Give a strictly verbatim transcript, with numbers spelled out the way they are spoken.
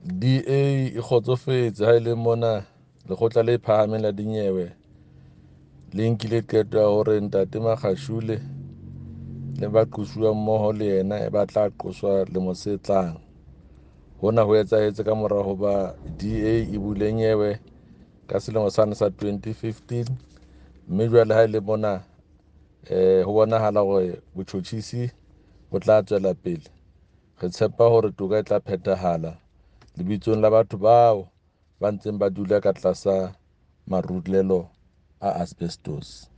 D A e kgotsofetse ha e le mona Lekgotla le Phahameng la Dinyewe le nkile qeto ya hore Ntate Magashule le baqosuwa mmoho le yena ba tla qoswa lemong se tlang. Hona ho etsahetse ka mora hoba D A e bule nyewe ka selemo sane sa twenty fifteen, mme jwale ha e le mona eh ho bonahala hore botjhotjhisi bo tla tswela pele. Re tshepa hore toka e tla phethahala lebitsong la batho bao ba ntseng ba dula ka tlasa marulelo a asbestos.